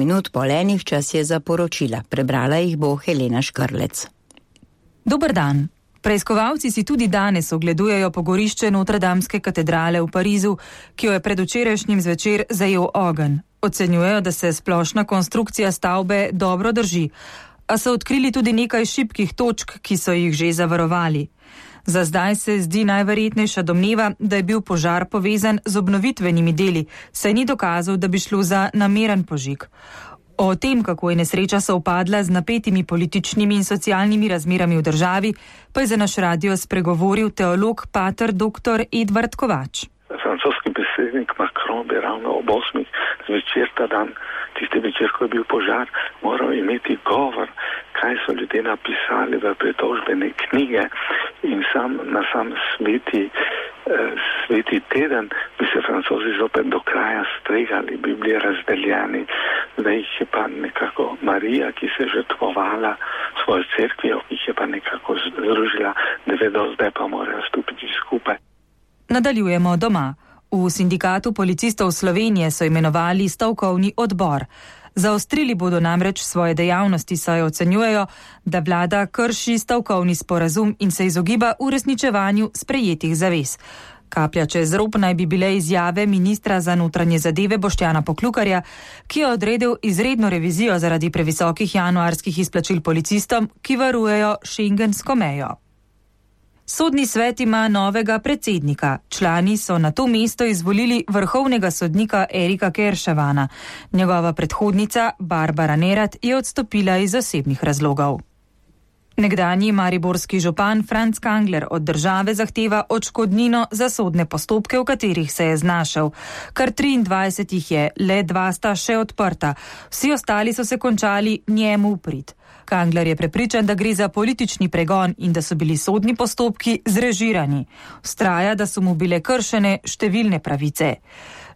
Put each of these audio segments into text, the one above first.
Minut po enih čas je za poročila. Prebrala jih bo Helena Škrlec. Dober dan. Preiskovalci si tudi danes ogledujejo pogorišče Notredamske katedrale v Parizu, ki jo je predvčerajšnjim zvečer zajel ogenj. Ocenjujejo, da se splošna konstrukcija stavbe dobro drži, a so odkrili tudi nekaj šibkih točk, ki so jih že zavarovali. Za zdaj se zdi najverjetnejša domneva, da je bil požar povezan z obnovitvenimi deli, saj ni dokazov, da bi šlo za nameren požig. O tem, kako je nesreča sovpadla z napetimi političnimi in socialnimi razmerami v državi, pa je za naš radio spregovoril teolog pater dr. Edvard Kovač. Francoski predsednik Macron bi ravno ob 8. zvečer ta dan, tisti večer, ko je bil požar, moral imeti govor, kaj so ljudje napisali v pritožbene knjige in na sam sveti teden bi se Francozi zopet do kraja stregali, bi bili razdeljeni, da jih je pa nekako Marija, ki se je žrtvovala svojo cerkvijo, ki jih je pa nekako združila, da vedo, zdaj pa morajo stopiti skupaj. Nadaljujemo doma. V Sindikatu policistov Slovenije so imenovali stavkovni odbor. Zaostrili bodo namreč svoje dejavnosti, saj ocenjujejo, da vlada krši stavkovni sporazum in se izogiba uresničevanju sprejetih zavez. Kaplja čez rob naj bi bile izjave ministra za notranje zadeve Boštjana Poklukarja, ki je odredil izredno revizijo zaradi previsokih januarskih izplačil policistom, ki varujejo šengensko mejo. Sodni svet ima novega predsednika. Člani so na to mesto izvolili vrhovnega sodnika Erika Kerševana. Njegova predhodnica Barbara Nerat je odstopila iz osebnih razlogov. Nekdanji mariborski župan Franc Kangler od države zahteva odškodnino za sodne postopke, v katerih se je znašel. Kar 23 jih je, le 2 sta še odprta. Vsi ostali so se končali njemu v prid. Kangler je prepričan, da gre za politični pregon in da so bili sodni postopki zrežirani. Vztraja, da so mu bile kršene številne pravice.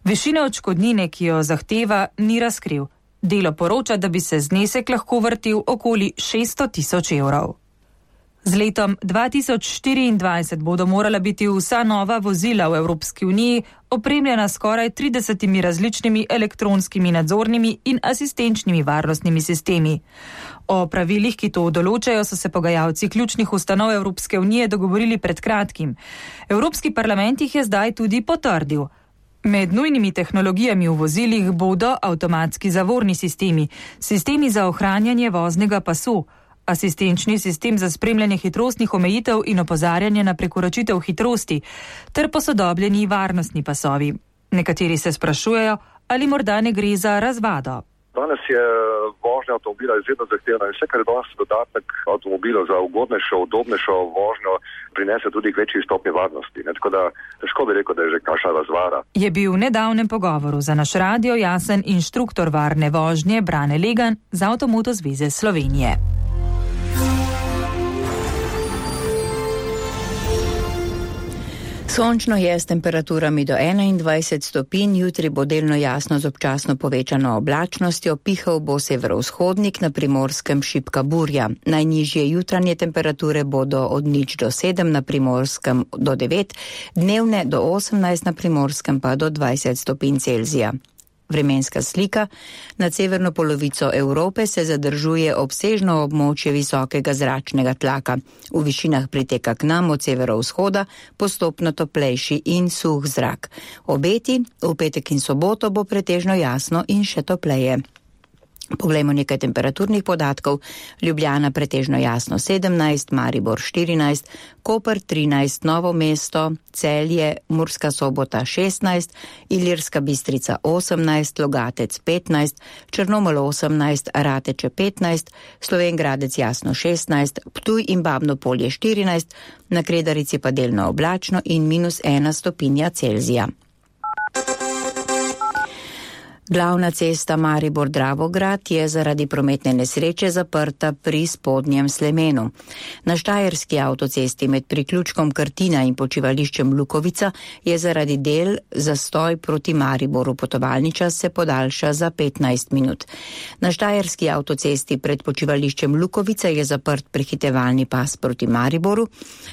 Višine odškodnine, ki jo zahteva, ni razkril. Delo poroča, da bi se znesek lahko vrtel okoli 600.000 evrov. Z letom 2024 bodo morala biti vsa nova vozila v Evropski uniji opremljena skoraj 30 različnimi elektronskimi nadzornimi in asistenčnimi varnostnimi sistemi. O pravilih, ki to določajo, so se pogajalci ključnih ustanov Evropske unije dogovorili pred kratkim. Evropski parlament jih je zdaj tudi potrdil. Med nujnimi tehnologijami v vozilih bodo avtomatski zavorni sistemi, sistemi za ohranjanje voznega pasu, asistenčni sistem za spremljanje hitrostnih omejitev in opozarjanje na prekoračitev hitrosti ter posodobljeni varnostni pasovi. Nekateri se sprašujejo, ali morda ne gre za razvado. Danes je vožnja avtomobila izredno zahtevna in vse, kar je danes dodatek avtomobilov za ugodnejšo, udobnejšo vožnjo, prinese tudi k večji stopnji varnosti. Tako da težko bi rekel, da je že kakšna razvara. Je bil v nedavnem pogovoru za naš radio jasen inštruktor varne vožnje Brane Legan z Avtomoto zveze Slovenije. Sončno je s temperaturami do 21 stopinj, jutri bo delno jasno z občasno povečano oblačnostjo, pihal bo severovzhodnik, na Primorskem šibka burja. Najnižje jutranje temperature bodo od 0 do 7, na Primorskem do 9, dnevne do 18, na Primorskem pa do 20 stopinj Celzija. Vremenska slika. Nad severno polovico Evrope se zadržuje obsežno območje visokega zračnega tlaka. V višinah priteka k nam od severovzhoda postopno toplejši in suh zrak. Obeti v petek in soboto bo pretežno jasno in še topleje. Poglejmo nekaj temperaturnih podatkov. Ljubljana pretežno jasno 17, Maribor 14, Koper 13, Novo mesto, Celje, Murska Sobota 16, Ilirska Bistrica 18, Logatec 15, Črnomelj 18, Rateče 15, Slovenj Gradec jasno 16, Ptuj in Babno Polje 14, na Kredarici pa delno oblačno in -1 stopinja Celzija. Glavna cesta Maribor-Dravograd je zaradi prometne nesreče zaprta pri spodnjem Slemenu. Na štajerski avtocesti med priključkom Krtina in počivališčem Lukovica je zaradi del zastoj proti Mariboru. Potovalni čas se podaljša za 15 minut. Na štajerski avtocesti pred počivališčem Lukovica je zaprt prehitevalni pas proti Mariboru.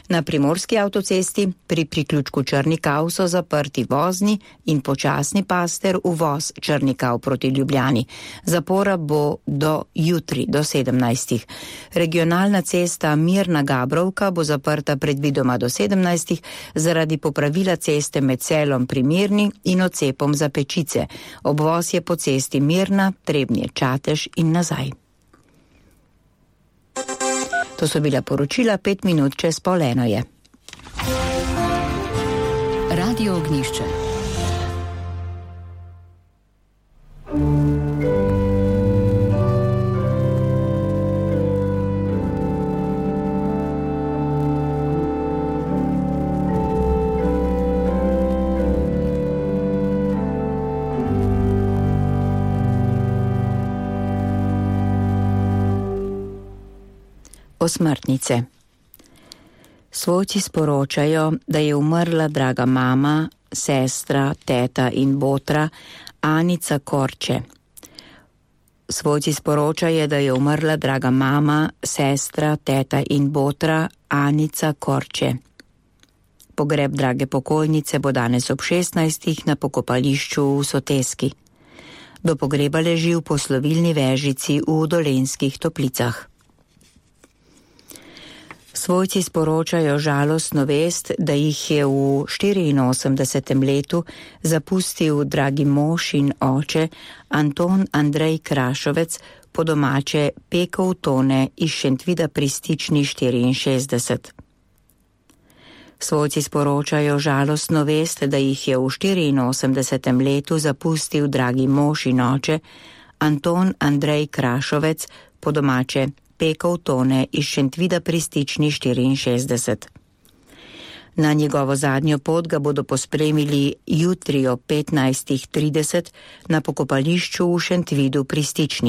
Na primorski avtocesti pri priključku Črnikav so zaprti vozni in počasni pas ter uvoz Črnikav Vrnikau proti Ljubljani. Zapora bo do jutri, do 17. Regionalna cesta Mirna-Gabrovka bo zaprta predvidoma do 17. zaradi popravila ceste med Selom pri Mirni in odcepom za Pečice. Obvoz je po cesti Mirna, Trebnje-Čatež in nazaj. To so bila poročila, 5 minut čez 12:30 je. Radio Ognjišče. Osmrtnice. Svojci sporočajo, da je umrla draga mama, sestra, teta in botra Anica Korče. Svojci sporočajo, da je umrla draga mama, sestra, teta in botra Anica Korče. Pogreb drage pokojnice bo danes ob 16. na pokopališču v Soteski. Do pogreba leži v poslovilni vežici v Dolenjskih Toplicah. Svojci sporočajo žalostno vest, da jih je v 84. letu zapustil dragi mož in oče Anton Andrej Krašovec, po domače Pekov Tone iz Šentvida pri Stični 64. Svojci sporočajo žalostno vest, da jih je v 84. letu zapustil dragi mož in oče Anton Andrej Krašovec, po domače Pekov Tone iz Šentvida pri Stični 64. Na njegovo zadnjo pot ga bodo pospremili jutri o 15:30 na pokopališču v Šentvidu pri Stični.